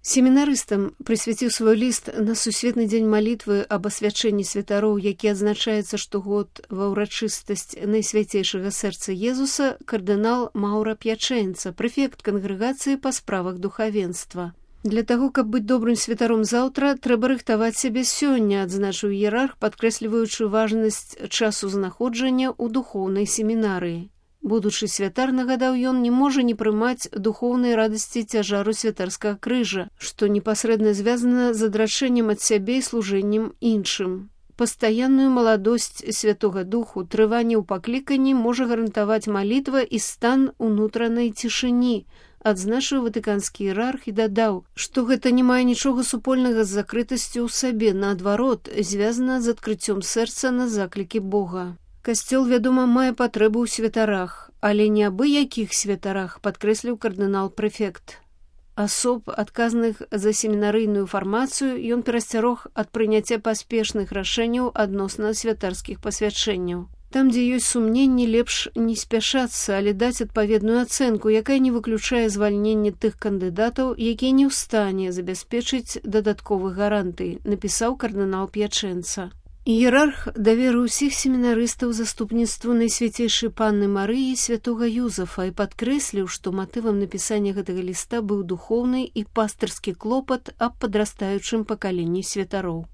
Семінарыстам прысвяціў свой ліст на сусветны дзень малітвы аб асвячэнні святароў, які адзначаецца штогод ва ўрачыстасць найсвяцейшага сэрца Езуса, кардынал Маўра П'ячэнца, прэфект кангрэгацыі па справах духавенства. Для таго, каб быць добрым святаром заўтра, трэба рыхтаваць сябе сёння, адзначыў іерарх, падкрэсліваючы важнасць часу знаходжання ў духоўнай семінарыі. Будучы святар, нагадаў ён, не можа не прымаць духоўнай радасці цяжару святарскага крыжа, што непасрэдна звязана з адрачэннем ад сябе і служэннем іншым. Пастаянную маладосць Святога Духу, трыванне ў пакліканні можа гарантаваць малітва і стан унутранай цішыні, адзначыў ватыканскі іерарх і дадаў, што гэта не мае нічога супольнага з закрытасцю ў сабе, наадварот, звязана з адкрыццём сэрца на заклікі Бога. Касцёл, вядома, мае патрэбу ў святарах, але не абы якіх святарах, падкрэсліў кардынал-прэфект. Асоб, адказных за семінарыйную фармацыю, ён перасцярог ад прыняцця паспешных рашэнняў адносна святарскіх пасвячэнняў. Там, дзе ёсць сумненні, лепш не спяшацца, але даць адпаведную ацэнку, якая не выключае звальненне тых кандыдатаў, якія не ў стане забяспечыць дадатковых гарантый, напісаў кардынал П'ячэнца. Іерарх даверыў усіх семінарыстаў заступніцтву Найсвяцейшай Панны Марыі святога Юзафа і падкрэсліў, што матывам напісання гэтага ліста быў духоўны і пастырскі клопат аб падрастаючым пакаленні святароў.